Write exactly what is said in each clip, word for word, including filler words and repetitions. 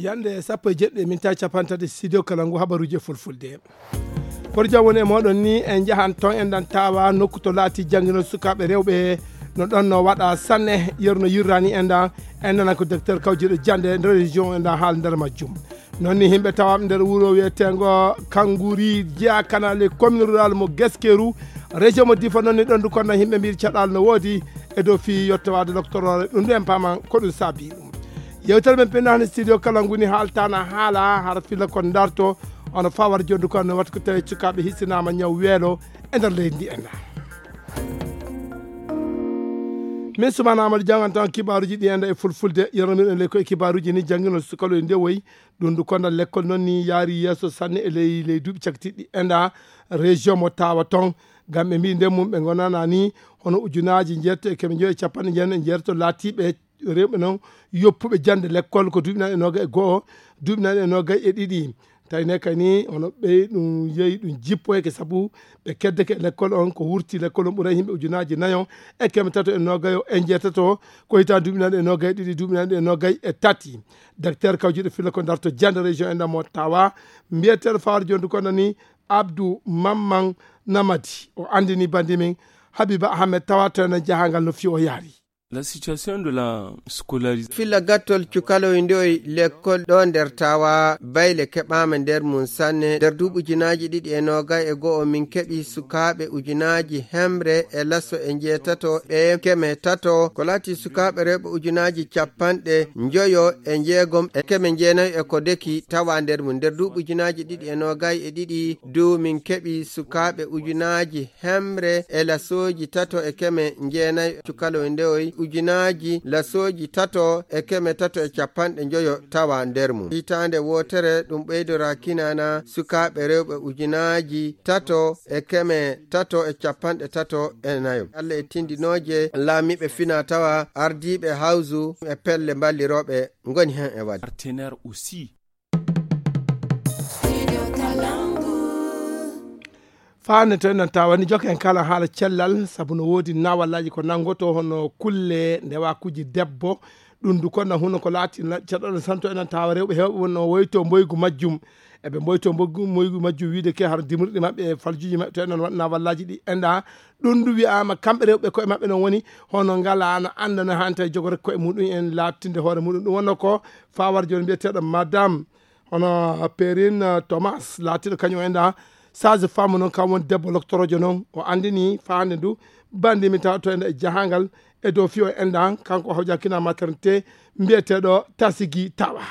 Hannde sappo e jeɗɗi e mintaji capanɗe tati, studio kala ngu habaruji e fulfulde. Koto jam woni e moɗon ni, en njahan toon, en ɗan tawa nokku to laati jannginol sukaaɓe rewɓe. No ɗon no waɗa sanne, yeru no yirrani en ɗan, en nana ko docteur kawjiɗo jannde nder région en ɗan haala nder majjum. Noon ni yimɓe tawaɓe nder wuro wiyeteengo Kanguri, Jiyakanale, commune rurale mo Geskeru, région mo Difa, noon ni ɗon du kono yimɓe mbiɗi caɗaal no woodi e dow fii yottowaade loktoroore, ɗum ɗo en paaman ko ɗum saabi ɗum. Yewtere men pinnaani studio kala nguni haaltaana haala hara filla kon darto, ono fawar jondu kon no wata ko tawi cukaaɓe hisinaama ñaw weelo e nder leydi ndi en. Min Sumana Amadou Diang en tan kibaaruji ɗi en e fulfulde, yernomirɗen ley ko e kibaaruji ni janngino sukaloy ndewoy, ɗum ndu kondal lekkol noon ni yaari yeeso sanne e ley, ley duuɓi cakitiɗi en ɗa région mo tawa toon. Ngam ɓe mbi nden mum ɓe ngonana ni hono ujunaaji njeetati e keme njoyo e capanɗe jeenayi e njeetati laatiiɓe rewɓe noon yoppuɓe jannde lekkol ko duuɓi nayi e noogay e go'o, duuɓi nayi e noogay e ɗiɗi. Tawi ne kay ni hono ɓey ɗum yehi ɗum jippoyake sabu ɓe keddake e lekkol on, ko wurti lekkol on ɓuray yimɓe ujunaaji nayo e keme tato e noogayo e njeetato, ko hitaan duuɓi nayi e noogay e ɗiɗi, duuɓi nayi e noogay e tati. Docteur kawjiɗo filla ko darto jannde région e ndamo tawa, mbiyeteeɗo Fawar Jondu kono ni Abdou Mamman Namadi, o anndini bandi min Habiba Ahmed tawa to enen jahangal no fiyo yaari. La situation de la scolarisation. Filla gattol cukaloy ndoy lekkol ɗo nder tawa bayle keɓama nder mum sanne. Nder duuɓi ujunaaji ɗiɗi e noogay e go'o min keɓi sukaaɓe ujunaaji hemre e laso e njeetato e keme tato. Ko laati sukaaɓe rewɓe ujunaaji capanɗe njoyo e njeegom e keme jeenayi e ko deki tawa nder mum. Nder duuɓi ujunaaji ɗiɗi e noogay e ɗiɗi du min keɓi sukaaɓe ujunaaji hemre e lasooji tato e keme jeenayi cukalo ndewoy ujunaaji lasooji tato e keme tato e capanɗe njoyo tawa nder mum. Hitaande wootere ɗum ɓeydora kinana sukaaɓe rewɓe ujunaaji tato e keme tato e capanɗe tato e nayo. Allah e tindinooje laamiiɓe fina tawa ardiiɓe hawsu e pelle mballirooɓe ngoni hen e wadde. Partenaire aussi. Faande to enen tawa ni jokke en kala haala cellal, sabu no woodi nawallaaji ko nanngoto hono kulle ndewakuuji debbo. Ɗum du kono huno ko laati na-, caɗɗo santo enen tawa rewɓe heewɓe wonno woyto mboygu majjum. Eɓe mboyto mboygu, mboygu majjum wiide ke har dimruɗi maɓɓe e faljuuji maɓɓe to enen waɗ nawallaaji ɗi enɗa. Ɗum du wi'aama kamɓe rewɓe koye maɓɓe noon woni hono ngala na annda no hanta e jogoree koye muɗum en laattinde hoore muɗum. Ɗum wonno ko fawar jooni mbiyeteeɗo madame hono Perrine Thomas laatiiɗo kañum enɗa sage femme noon kam woni debbo loktorojo noon o anndini faande ndu bandi mi tawa to enɗa e jahangal e dow fiyo enɗa kanko hawjakina maternité mbiyeteeɗo Tasigi Tawa.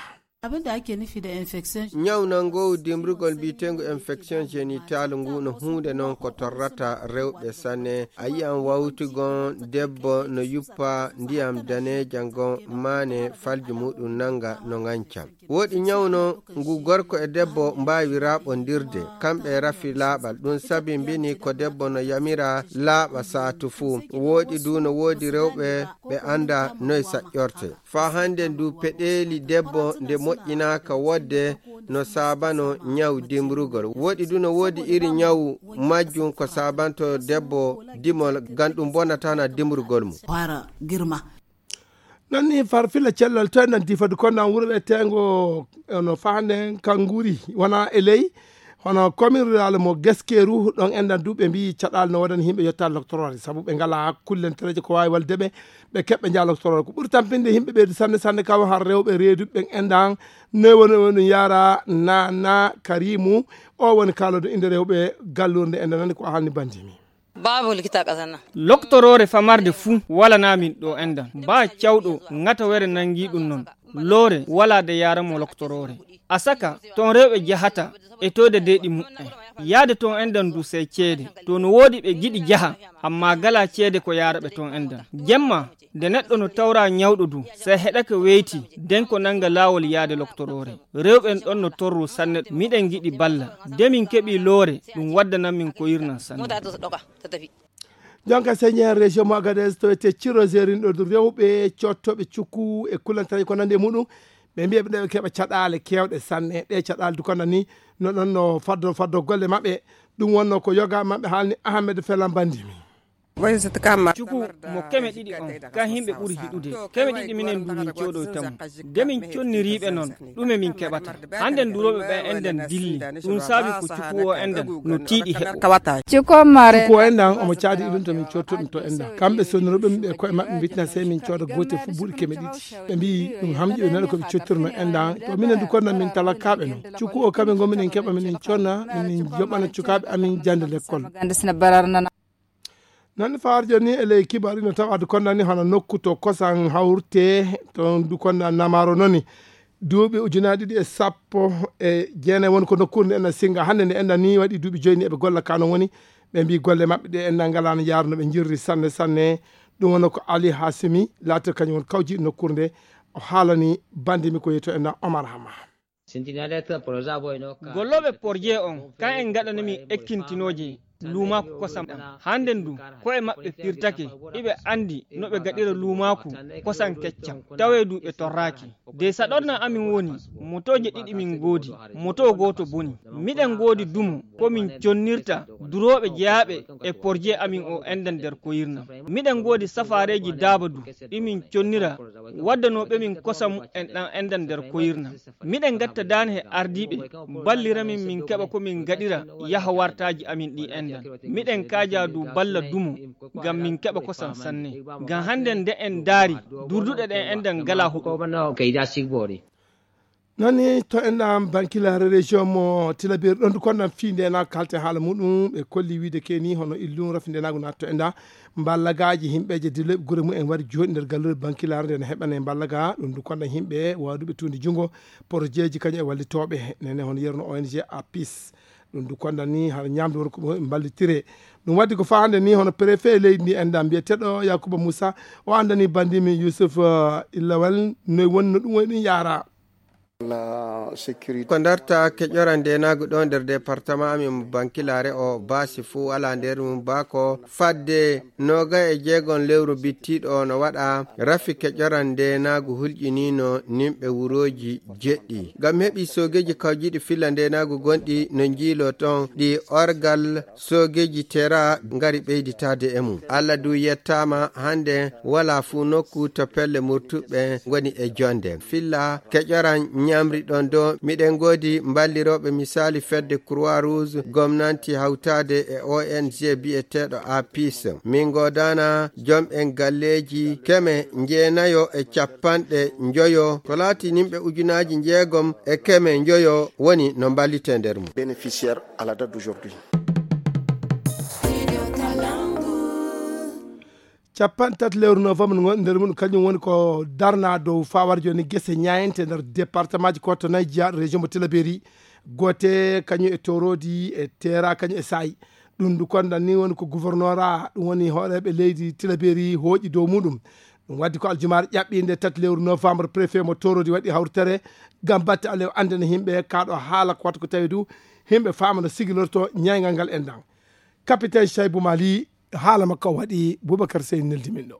Abin da ake nufi da infection. Ñaw nanngoowu dimrugol mbiyeteengu infection génitale ngu no huunde noon ko torrata rewɓe sanne. A yiyan wawtugon debbo no yuppa ndiyam daneejam ngon maane falji muɗum nannga no ŋanca. Woodi ñaw noon ngu gorko e debbo mbaawi raɓondirde, kamɓe e rafi laaɓal. Ɗum sabi mbini ko debbo no yamira laaɓa saatu fuu. Woodi du no woodi rewɓe ɓe annda noy saƴƴorte. Faa hannden du peɗeeli debbo nde moƴƴinaaka woɗde no saabano ñaw dimrugol. Woɗi du no woodi iri ñaw majjum ko saabanto debbo dimol ngam ɗum bonatana dimrugol mum. Hara girma. Noon ni far filla cellal to en nanti fadi ko nan wuro ɓe teengo ono fahanden kan nguuri wona e ley. Hono commune rurale mo Geskeru, ɗon enɗan du ɓe mbiyi caɗaali no waɗani yimɓe yottaade loktoroore, sabu ɓe ngalaa kullentereeje ko waawi wallude ɓe, ɓe keɓɓe njaha loktoroore. Ko ɓuri tampinde yimɓe ɓeydu sanne sanne kam har rewɓe reeduɓe ɓen enɗan, noy woni woni ɗum yaara Nana Karimu, o woni kaaloodo innde rewɓe gallurde enɗan nani ko haalni bandimi. Babu likita ƙasar nan. Loktoroore famarde fuu walanaa min ɗo enɗan. Baa cawɗo ŋatawere nanngi ɗum non. Loore walaa de yaara mo loktoroore. A saka, toon rewɓe jahata e toyde deeɗi muɓɓen. Yaade toon enɗan du sey ceede. To no woodi ɓe giɗi jaha, ammaa galaa ceede ko yaara ɓe toon enɗan. Jemma, nde neɗɗo no tawraa ñawɗo du, sey heɗake weyti, den ko nannga laawol yaade loktoroore. Rewɓe en ɗon no torru sanne, miɗen giɗi balla. De min keɓii loore, ɗum waddanan min ko yirnan sanne. Jonka Seigneur région mo Agadez to wiyetee Ciro Zerin ɗo rewɓe coottooɓe cukku e kulantareeji ko nanndi e muɗum. Ɓe mbiya ɓe ɗeɓe keɓa caɗaale keewɗe sanne. Ɗe caɗaale du kono ni no ɗon no faddo faddo golle maɓɓe. Ɗum wonno ko yoga maɓɓe haalni Ahmed Felan Bandimi. Cuku mo keme ɗiɗi on, kan himɓe ɓuri hiɗude. Keme ɗiɗi minen du min coodoyta mo. De min conniriiɓe non, ɗume min keɓata? Hannden durooɓe ɓen enɗan dilli. Ɗum saabi ko cuku o enɗan no tiiɗi heɓo. Cuku o enɗan omo caadi iɗum to min coodoto ɗum to enɗan. Kamɓe sonnirooɓe ɓe koye maɓɓe mbitina sey min cooda gootel fof buuɗi keme ɗiɗi. Ɓe mbiyi ɗum hamƴi ɓe nana ko ɓe cottirno enɗan. To minen du konnan min talakaaɓe non. Cuku o kamɓe ngon minen keɓa minen conna, minen joɓana cukaaɓe amin jannde lekkol. Nani faar joni e ley kibar ino tawa du konnani hono nokku to kosan hawrte to du konna namaro noni. Duuɓi ujunaaji ɗiɗi e sappo e jeenayi woni ko nokkuure nde enɗan singa hannde nde enɗan ni waɗi duuɓi joyi ni eɓe golla ka non woni. Ɓe mbi golle maɓɓe ɗe enɗan ngalaano yaar no ɓe jirri sanne sanne. Ɗum woni ko Ali Hasimi laata kañum woni kawji nokkuure nde. O haalani bandimi ko yeto enɗan Omar Hama. Gollooɓe porje on kan en ngaɗani min ekkintinooje luumaaku kosam ɗam. Hannden du ko'e maɓɓe pirtake. Iɓe anndi no ɓe gaɗira luumaaku kosam keccam. Tawee du ɓe torraaki. De saɗorna amin woni motooje ɗiɗi min ngoodi. Moto gooto boni. Miɗen ngoodi dumo ko min connirta durooɓe jeyaaɓe e porje amin o enɗan nder koyirnam. Miɗen ngoodi safaareeji daaba du ɗi min connira waddanooɓe min kosam en ɗan enɗan nder koyirnam. Miɗen ngatta daane he ardiiɓe ballira min min keɓa ko min ngaɗira yaha wartaaji amin ɗi enɗan. Miɗen kaaja du balla dumo ngam min keɓa kosam sanne. Ngam hannden nde en ndaari durduɗe ɗen enɗan ngala huɗo. Nani to enɗan bankilare région mo Tilaberi ɗon du konnan fii ndenaagu kalte haala muɗum ɓe kolli wiide keni hono illum rafi ndenaagu naatto enɗan mballagaaji himɓeeje diloɓe gure mumen wari jooɗi nder galluure bankilare nde ne heɓane mballaga ɗum du konnan himɓe waduɓe tuundi junngo porojeeji kañum e wallitooɓe nene hono yerno O N G Apis. Ɗum du konnan ni hara ñaamdu won ko ɓe mballitire. Ɗum waddi ko faa hannde ni hono préfet leydi ndi enɗan mbiyeteeɗo Yakuba Moussa o anndani bandimi Youssouf, eh, Illawel noy woni no ɗum woni ɗum yaara. Ko ndarta keƴora ndenaagu ɗo nder département amin mo Bankilare o baasi fuu alaa nder mum baa ko fadde nooga e jeegon lewru bittiiɗo o no waɗa rafi keƴora ndenaagu hulƴiniino nimɓe wurooji jeɗɗi. Ngam heɓi soogeeji kawjiiɗi filla ndenaagu gonɗi no njiiloo toon ɗi orgal soogeeji tera ngari ɓeyditaade e mum. Allah du yettaama hannde walaa fuu nokku to pelle murtuɓe ngoni e jonde. Filla keƴoran ñamri ɗon do miɗen ngoodi mballirooɓe misaali fedde Croix Rouge, gomnanti hawtaade e O N G biyeteeɗo Apis. Min ngoodana jom en galleeji keme njeenayo e capanɗe njoyo ko laati nimɓe ujunaaji njeegom e keme njoyo woni no mballitee nder mum. Bénéficiaire à la date d'aujourd'hui. Capanɗe tati lewru novembre ngo nder mum kañum woni ko darna dow fawar joni gese ñayente nder département ji ko to nayi jiyaaɗo région mo Tilaberi. Goote kañum e Torodi e Tera kañum e Sayi. Ɗum ndu kondan ni woni ko gouverneur a ɗum woni hooreeɓe leydi Tilaberi hooƴi dow muɗum. Ɗum waddi ko aljumaare ƴaɓɓiinde tati lewru novembre préfet mo Torodi waɗi hawritere ngam batte alew anndana yimɓe kaɗo haala ko wata ko tawi du yimɓe faama no sigilorto ñayngal ngal enɗan. Capitaine Shaibou Mali haala makko o waɗi Boubacar Seye neldi min ɗo.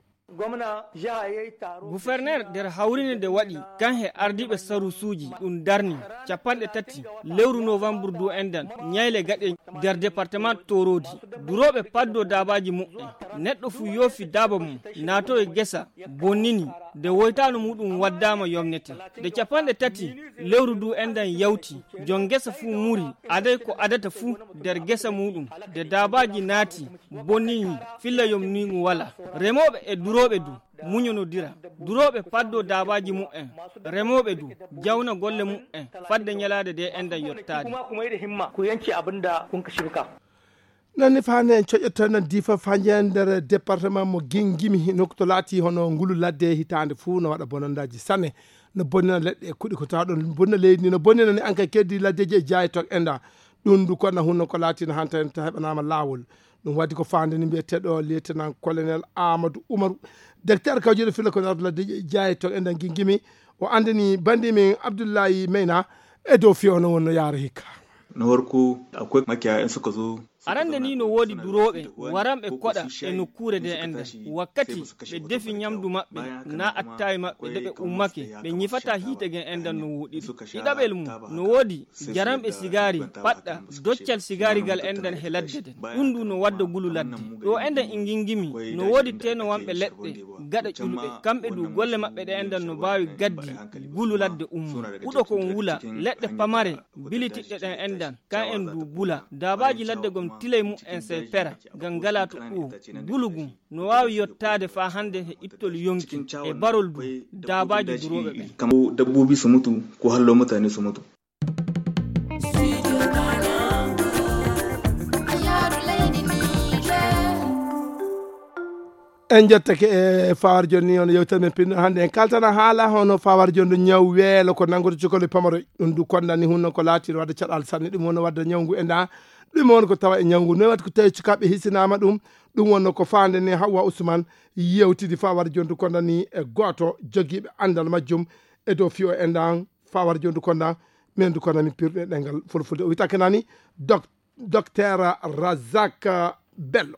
Guferner nder hawrinde nde waɗi kan he ardiiɓe sarusuuji ɗum darni capanɗe tati lewru novambur du enɗan ñayle gaɗe nder département Torodi. Durooɓe paddo daabaaji muɓɓen neɗɗo fu yoofi daaba mum naato e gesa bonnini nde woytaano muɗum waddaama yomnete. Nde capanɗe tati lewru du enɗan yawti jon gesa fu muri aday ko adata fu nder gesa muɗum nde daabaaji naati bonnini filla yomniigu wala. Remooɓe e durooɓe du muñonodira. Durooɓe paddo daabaaji muɓɓen remooɓe du jawna golle muɓɓen fadde ñalaade de enɗan yottaade. Ko yanci abin da kun ka shibka. Nanni fani en coƴƴotono difa fañe nder département mo gingimi nokku to laati hono ngulu ladde hitaande fuu no waɗa bonandaaji sanne. No bonnina leɗɗe e kuɗi ko tawa ɗon bonnina leydi ndi no bonnina ni ankay keddi laddeji e jaayi to enɗa. Ɗum ndu konna hunno ko laatino hanta en ta heɓanaama laawol. Ɗum waddi ko faande ni mbiyeteeɗo lieutenant colonel Amadou Oumarou, directeur kawjuɗo filla ko nardo laddeji e jaayi to enɗa gingimi. O anndani banndi min Abdoullahi Meyna e dow fiyo no wonno yaara hikka. Na farko akwai makiyaya in suka zo. Arande ni no woodi durooɓe waranɓe koɗa e nokkuure de enɗan. Wakkati ɓe defi nyamdu maɓɓe, na attaay maɓɓe de ɓe ummake, ɓe nyifata hiite gen enɗan no woɗiri. Ɗiɗaɓel mum, no woodi jaranɓe sigaari, paɗɗa, doccal sigaari gal enɗan he ladde den. Ɗum du no wadda gulu ladde. Ɗo enɗan ingingimi, no woodi teenowanɓe leɗɗe, gaɗa ƴulɓe. Kamɓe du golle maɓɓe ɗe enɗan no baawi gaddi gulu ladde ummo. Huɗo kon wula, leɗɗe pamare, bilitiɗɗe ɗen enɗan, kan en du bula. Daabaaji ladde gom tilay mum en sey pera, ngam ngalaa to ɗuwo. Gulu gum no waawi yottaade faa hande he ittol yonki e barol du daabaaji durooɓe ɓen. Kam ko dabbobi so mutu, ko hallo mutane so mutu. En jettake e fawar jonni on yewtere men pinno hannde. En kaltana haala hono fawar jonni ñaw weelo ko nanngude cukole pamaroy. Ɗum du kondani hunno ko laati wadde caɗal sanne. Ɗum woni wadde ñaw ngu e nda. Ɗum woni ko tawa e ñaw ngu. Noy waɗi ko tawi cukaaɓe hisinaama ɗum. Ɗum wonno ko faande ne Hawwa Usman yewtidi fawar jonni kondani e gooto jogiiɓe anndal majjum e dow fiyo e ndan fawar jonni konda. Men du kondani pirɗe ɗengal fulfulde. O witake nani dok-, Docteur Razak Bello.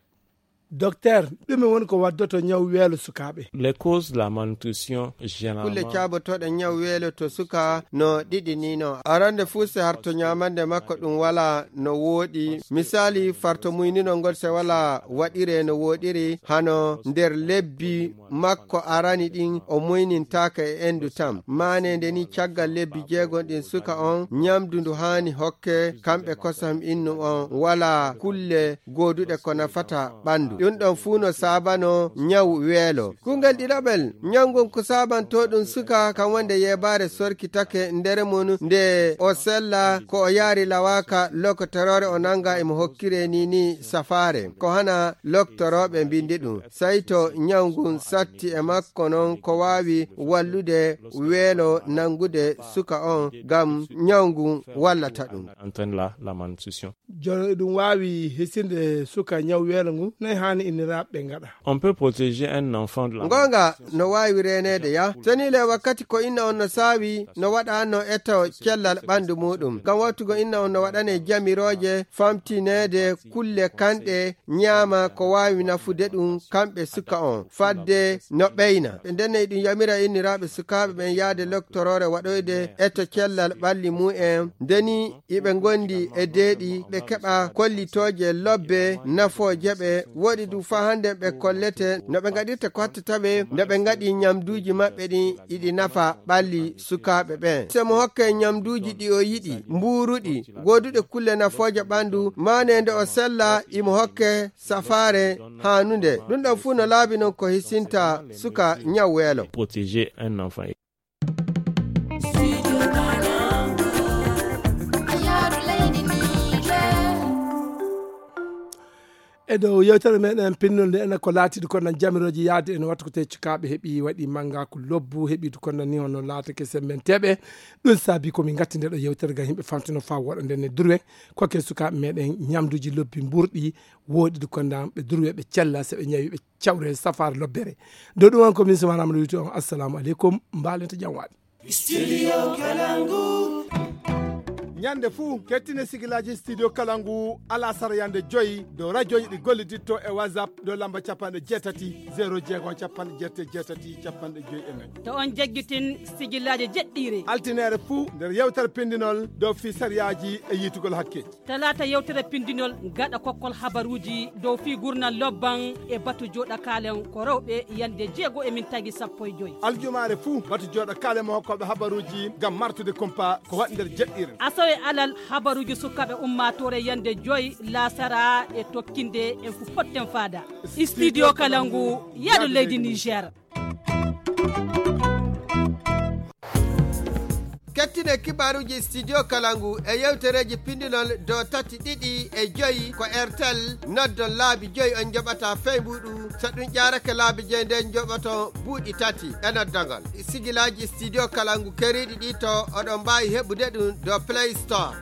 Docteur, ɗume woni ko waddoto ñaw weelo sukaaɓe? Les causes de la malnutrition généralement. Kulle caabotooɗe ñaw weelo to suka no ɗiɗi ni no. Arande fuu se harto ñaamande makko ɗum wala no wooɗi. Misali, farto muynino ngol se wala waɗire no wooɗiri, hano nder lebbi makko arani ɗin o muynintaaka e endu tam. Maane nde ni caggal lebbi jeegon ɗin suka on, ñamdu ndu haani hokke, kamɓe kosam innum on, wala kulle gooduɗe ko nafata ɓandu. Ɗum ɗon fuu no saabano ñaw weelo. Kungel ɗiɗaɓel, ñaw ngun ko saabanto ɗum suka, kan wonde yeebaare sorkitake nder mun nde o sella ko o yaari lawaaka lokotoroore o nanga imo hokkire ni ni safaare. Ko hana loktorooɓe mbindi ɗum. Sey to ñaw ngun satti e makko non ko waawi wallude weelo nangude suka on ngam ñaw ngun wallata ɗum. Entraîne la, la malnutrition. Jono eɗum waawi hisinde suka ñaw weelo ngu, noy haani inniraaɓe ɓe ngaɗa? On peut protéger un enfant de la malnutrition. Ngonga no waawi reeneede ya. Seniile wakkati ko inna on no saawi, no waɗa no eto cellal ɓandu muuɗum. Ngam wattugo inna on no waɗane jamirooje, famtineede kulle kanɗe, ñaama ko waawi nafude ɗum kamɓe suka on, fadde no ɓeyna. Ɓe ndenne eɗum yamira inniraaɓe sukaaɓe ɓen yaade loktoroore waɗoyde eto cellal ɓalli mum en. Ndeni iɓe ngondi e deeɗi, ɓe keɓa kollitooje lobbe nafooje ɓe. Woɗi du faa hande ɓe kollete no ɓe ngaɗirta ko hattata ɓe, no ɓe ngaɗi ñamduuji maɓɓe ɗin iɗi nafa ɓalli sukaaɓe ɓen. Se mo hokke ñamduuji ɗi o yiɗi, mbuuruɗi, gooduɗe kulle nafooje ɓandu, maane nde o sella, imo hokke safaare haanunde. Ɗum ɗon fuu no laabi non ko hisinta suka ñaw weelo. Protéger un enfant. E dow yewtere meɗen pinnol nde enen ko laatiɗo ko nan jamirooji yaade en wattu ko te cukaaɓe heɓi waɗi mannga ko lobbu heɓi ko nan ni hono laatake semmenteeɓe. Ɗum saabi ko min ngatti nde ɗo yewtere ngam yimɓe famtino faa woɗa nden e durwe. Koke sukaaɓe meɗen ñamduuji lobbi mburɗi woɗi ko nan ɓe durwe ɓe cella se ɓe ñawi ɓe cawre safaare lobbere. Dow ɗum on ko min Sumana Amadou Wito on. Assalamu aleykum. Mbaalente jam waɗi. Studio Kalangu. Ñande fuu, kettine sigilaaji Studio Kalangu alasara yande joyi dow rajooji ɗi golliditto e WhatsApp dow lamba capanɗe jeetati, zéro jeego, capanɗe jeetati, capanɗe joyi e nayi. To on jaggitin sigilaaji jeɗɗiire. Altineere fuu nder yewtere pindinol dow fii sariyaaji e yiitugol hakke. Talaata yewtere pindinol gaɗa kokkol habaruuji dow fii gurnal lobban e batu jooɗa kaalen ko rewɓe yande jeego e min tagi sappo e joyi. Aljumaare fuu batu jooɗa kaalen mo hokkooɓe habaruuji ngam martude kumpa ko waɗi nder jeɗɗiire. Asawe alal habaruuji sukaaɓe ummaatoore yande joyi laasara e tokkinde en fu potten faada. Studio Kalangu, yaadu leydi Niger. Kettine kibaaruuji Studio Kalangu e yewtereeji pindinol dow tati ɗiɗi e joyi ko Airtel, noddon laabi joyi on njoɓata fey mbuuɗu, so ɗum ƴaarake laabi joyi nden njoɓoton buuɗi tati e noddogol. Sigilaaji Studio Kalangu keriiɗi ɗi to oɗon mbaawi heɓude ɗum dow Play Store.